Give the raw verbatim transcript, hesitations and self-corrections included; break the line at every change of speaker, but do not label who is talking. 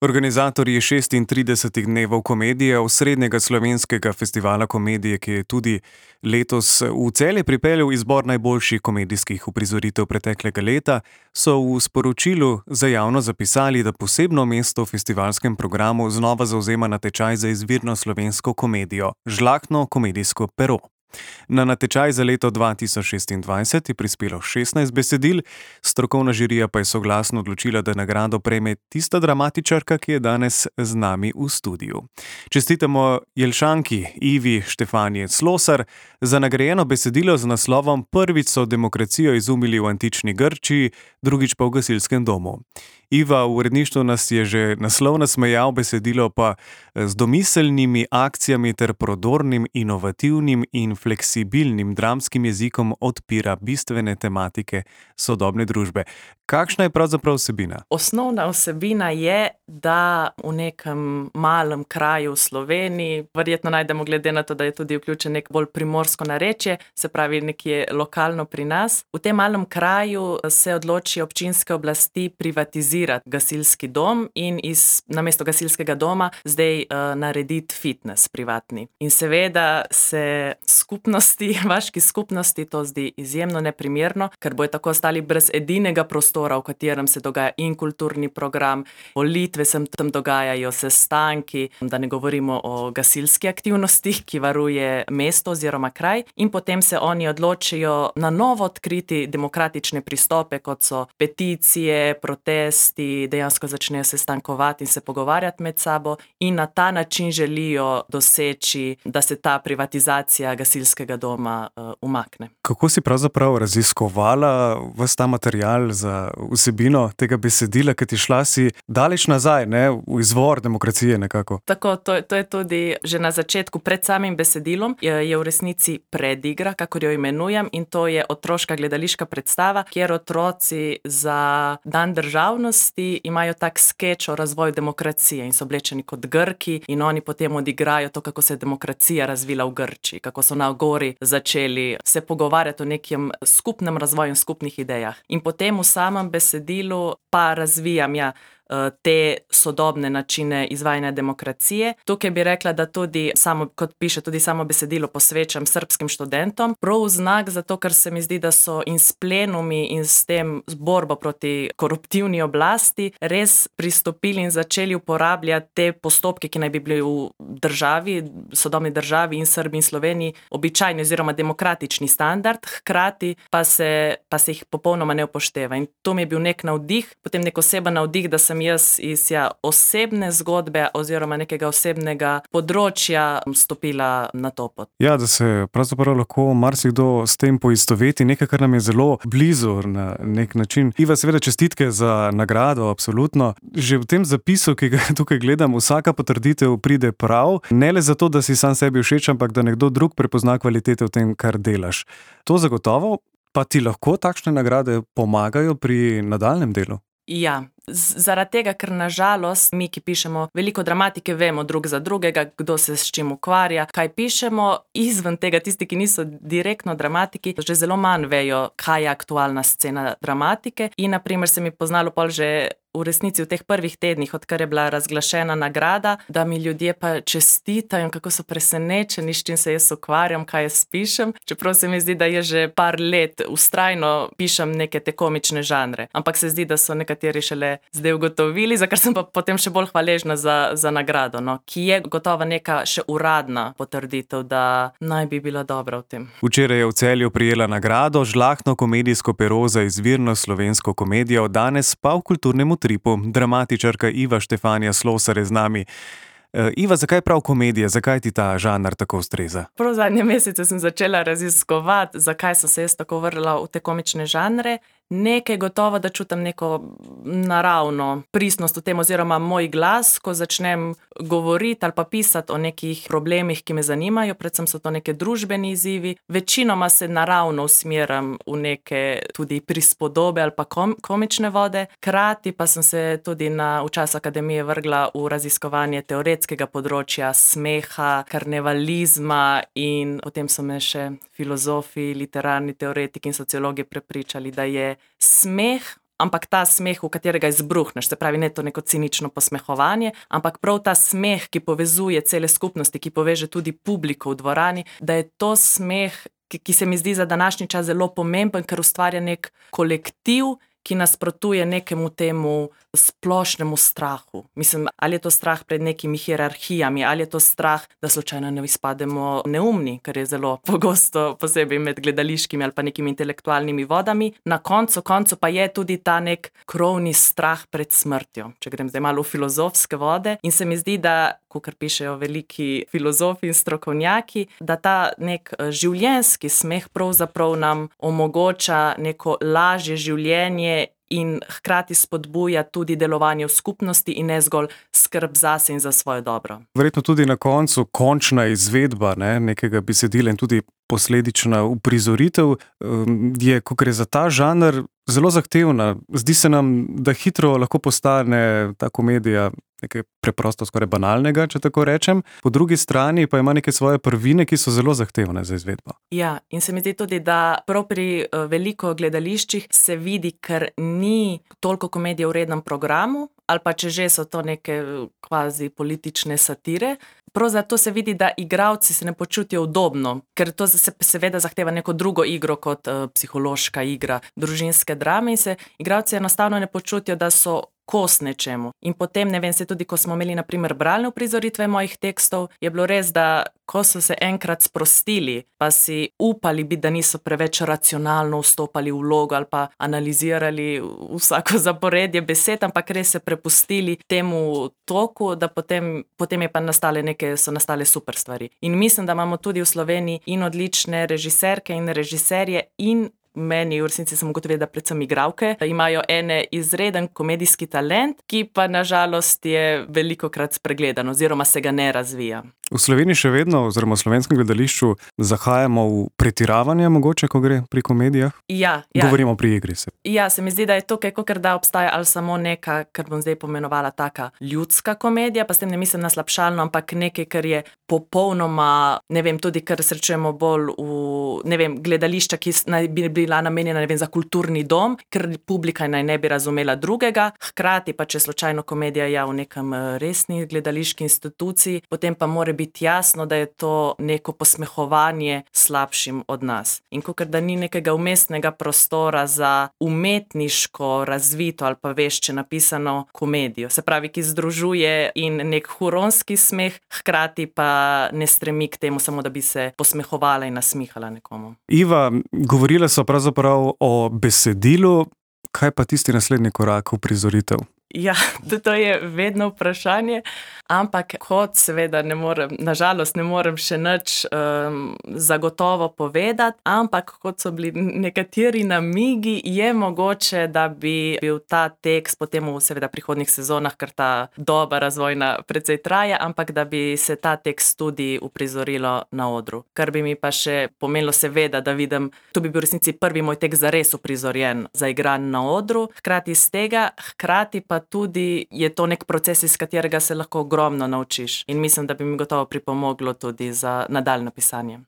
Organizatorji šestintridesetih dnevov komedije, osrednjega slovenskega festivala komedije, ki je tudi letos v Celje pripeljal izbor najboljših komedijskih uprizoritev preteklega leta, so v sporočilu za javnost zapisali, da posebno mesto v festivalskem programu znova zavzema natečaj za izvirno slovensko komedijo Žlahtno komedijsko pero. Na natečaj za leto dva tisoč šestindvajset je prispelo šestnajst besedil, strokovna žirija pa je soglasno odločila, da nagrado prejme tista dramatičarka, ki je danes z nami v studiu. Čestitamo Jelšanki Ivi Štefanije Slosar za nagrajeno besedilo z naslovom Prvič so demokracijo izumili v antični Grčiji, drugič pa v gasilskem domu. Iva, v uredništvu nas je že naslov nasmejal, besedilo pa z domiselnimi akcijami ter prodornim, inovativnim in fleksibilnim dramskim jezikom odpira bistvene tematike sodobne družbe. Kakšna je pravzaprav vsebina?
Osnovna vsebina je, da v nekem malem kraju v Sloveniji, verjetno najdemo glede na to, da je tudi vključen nek bolj primorsko narečje, se pravi nekje lokalno pri nas. V tem malem kraju se odloči občinske oblasti privatizirati gasilski dom in iz, namesto gasilskega doma zdaj uh, narediti fitness privatni. In seveda se skupnosti, vaški skupnosti to zdi izjemno neprimerno, ker bojo tako ostali brez edinega prostora, v katerem se dogaja in kulturni program, volitve se tam dogajajo, sestanki, da ne govorimo o gasilski aktivnosti, ki varuje mesto oziroma kraj, in potem se oni odločijo na novo odkriti demokratične pristope, kot so peticije, protesti, dejansko začnejo sestankovati in se pogovarjati med sabo in na ta način želijo doseči, da se ta privatizacija gasilskega doma uh, umakne.
Kako si pravzaprav raziskovala ves ta material za vsebino tega besedila, ker ti šla si daleč nazaj, ne, v izvor demokracije nekako?
Tako, to, to je tudi že na začetku, pred samim besedilom, je, je v resnici predigra, kakor jo imenujem, in to je otroška gledališka predstava, kjer otroci za dan državnosti imajo tak skeč o razvoju demokracije in so oblečeni kot Grki in oni potem odigrajo to, kako se je demokracija razvila v Grčiji, kako so na gori začeli se pogovarjati o nekem skupnem razvoju in skupnih idejah. In potem v samem besedilu pa razvijam ja, te sodobne načine izvajanja demokracije. Tukaj bi rekla, da tudi, samo, kot piše tudi samo besedilo, posvečam srbskim študentom. Prav v znak zato, ker se mi zdi, da so in s plenumi in s tem borbo proti koruptivni oblasti res pristopili in začeli uporabljati te postopke, ki naj bi bili v državi, sodobni državi in Srbiji in Sloveniji običajni oziroma demokratični standard, hkrati pa se, pa se jih popolnoma ne upošteva. In to mi je bil nek navdih, potem nek oseben navdih, da sem jaz iz ja, osebne zgodbe oziroma nekega osebnega področja stopila na to pot.
Ja, da se pravzaprav lahko marsikdo s tem poistoveti, nekaj, kar nam je zelo blizu na nek način. Iva, seveda čestitke za nagrado, absolutno. Že v tem zapisu, ki ga tukaj gledam, vsaka potrditev pride prav, ne le zato, da si sam sebi všeč, ampak da nekdo drug prepozna kvalitete v tem, kar delaš. To zagotovo, pa ti lahko takšne nagrade pomagajo pri nadaljnjem delu?
Ja, zaradi tega, ker nažalost mi, ki pišemo veliko dramatike, vemo drug za drugega, kdo se s čim ukvarja, kaj pišemo, izven tega tisti, ki niso direktno dramatiki, že zelo manj vejo, kaj je aktualna scena dramatike in na primer se mi poznalo pol že v resnici v teh prvih tednih, odkar je bila razglašena nagrada, da mi ljudje pa čestitajo, kako so presenečeni, s čim se jaz ukvarjam, kaj jaz pišem, čeprav se mi zdi, da je že par let vztrajno pišem neke te komične žanre, ampak se zdi, da so nekateri šele zdaj ugotovili, za kar sem pa potem še bolj hvaležna za, za nagrado, no, ki je gotovo neka še uradna potrditev, da naj bi bila dobra v tem.
Včeraj je v Celju prijela nagrado Žlahtno komedijsko pero za izvirno slovensko komedijo, danes pa v kulturnem utripu. Dramatičarka Iva Štefanija Slosar je z nami. Iva, zakaj prav komedija? Zakaj ti ta žanr tako ustreza?
Prav zadnje mesece sem začela raziskovati, zakaj sem se jaz tako vrla v te komične žanre. Nekaj gotovo, da čutim neko naravno pristnost v tem oziroma moj glas, ko začnem govoriti ali pa pisati o nekih problemih, ki me zanimajo, predvsem so to neke družbeni izzivi. Večinoma se naravno usmeram v neke tudi prispodobe ali pa kom, komične vode. Krati pa sem se tudi na, v času akademije vrgla v raziskovanje teoretskega področja smeha, karnevalizma in potem so me še filozofi, literarni teoretiki in sociologi prepričali, da je smeh ampak ta smeh, v katerega izbruhneš, se pravi, ne to neko cinično posmehovanje, ampak prav ta smeh, ki povezuje cele skupnosti, ki poveže tudi publiko v dvorani, da je to smeh, ki, ki se mi zdi za današnji čas zelo pomemben, ker ustvarja nek kolektiv, ki nasprotuje nekemu temu splošnemu strahu. Mislim, ali je to strah pred nekimi hierarhijami, ali je to strah, da slučajno ne izpademo neumni, kar je zelo pogosto, posebej med gledališkimi ali pa nekimi intelektualnimi vodami. Na koncu, koncu pa je tudi ta nek krovni strah pred smrtjo, če grem zdaj malo v filozofske vode. In se mi zdi, da, kakor pišejo veliki filozofi in strokovnjaki, da ta nek življenjski smeh pravzaprav nam omogoča neko lažje življenje in hkrati spodbuja tudi delovanje v skupnosti in ne zgolj skrb zase in za svoje dobro.
Verjetno tudi na koncu končna izvedba, ne, nekega besedila in tudi posledična uprizoritev je, ko gre za ta žanr, zelo zahtevna. Zdi se nam, da hitro lahko postane ta komedija nekaj preprosto skoraj banalnega, če tako rečem. Po drugi strani pa ima neke svoje prvine, ki so zelo zahtevne za izvedbo.
Ja, in se mi zdi tudi, da prav pri veliko gledališčih se vidi, ker ni toliko komedije v rednem programu, ali pa če že so to neke kvazi politične satire. Prav zato se vidi, da igralci se ne počutijo udobno, ker to se seveda zahteva neko drugo igro kot uh, psihološka igra družinske drame in se igralci enostavno ne počutijo, da so kos nečemu. In potem, ne vem, se tudi, ko smo imeli na primer bralne uprizoritve mojih tekstov, je bilo res, da ko so se enkrat sprostili, pa si upali biti, da niso preveč racionalno vstopali v vlogo ali pa analizirali vsako zaporedje besed, ampak res se prepustili temu toku, da potem, potem je pa nastale neke, so nastale super stvari. In mislim, da imamo tudi v Sloveniji in odlične režiserke in režiserje in meni v resnici sem ugotovila, da predvsem igralke imajo ene izreden komedijski talent, ki pa nažalost je velikokrat spregledan oziroma se ga ne razvija.
V Sloveniji še vedno, oziroma v slovenskem gledališču, zahajamo v pretiravanje mogoče, ko gre pri komedijah?
Ja, ja.
Govorimo pri igri se.
Ja, se mi zdi, da je tukaj, kakor da obstaja ali samo neka, kar bom zdaj pomenovala taka ljudska komedija, pa s tem ne mislim na slabšalno, ampak nekaj, kar je popolnoma, ne vem, tudi kar srečujemo bolj v, ne vem, gledališča, ki naj bi bila namenjena, ne vem, za kulturni dom, ker publika naj ne bi razumela drugega, hkrati pa, če slučajno komedija je v nekem resni gledališki instituciji, potem pa mora biti jasno, da je to neko posmehovanje slabšim od nas. In kakor da ni nekega umestnega prostora za umetniško razvito ali pa vešče napisano komedijo. Se pravi, ki združuje in nek huronski smeh, hkrati pa ne stremi k temu samo, da bi se posmehovala in nasmihala nekomu.
Iva, govorila so pravzaprav o besedilu, kaj pa tisti naslednji korak v prizoritev?
Ja, to je vedno vprašanje, ampak kot seveda ne morem, nažalost ne morem še nič um, zagotovo povedati, ampak kot so bili nekateri namigi, je mogoče, da bi bil ta tekst potem v seveda prihodnjih sezonah, ker ta doba razvojna precej traja, ampak da bi se ta tekst tudi uprizorilo na odru. Kar bi mi pa še pomenilo seveda, da vidim, to bi bil v resnici prvi moj tekst zares uprizorjen, zaigran na odru, hkrati iz tega, hkrati pa tudi je to nek proces, iz katerega se lahko ogromno naučiš. In mislim, da bi mi gotovo pripomoglo tudi za nadaljnje pisanje.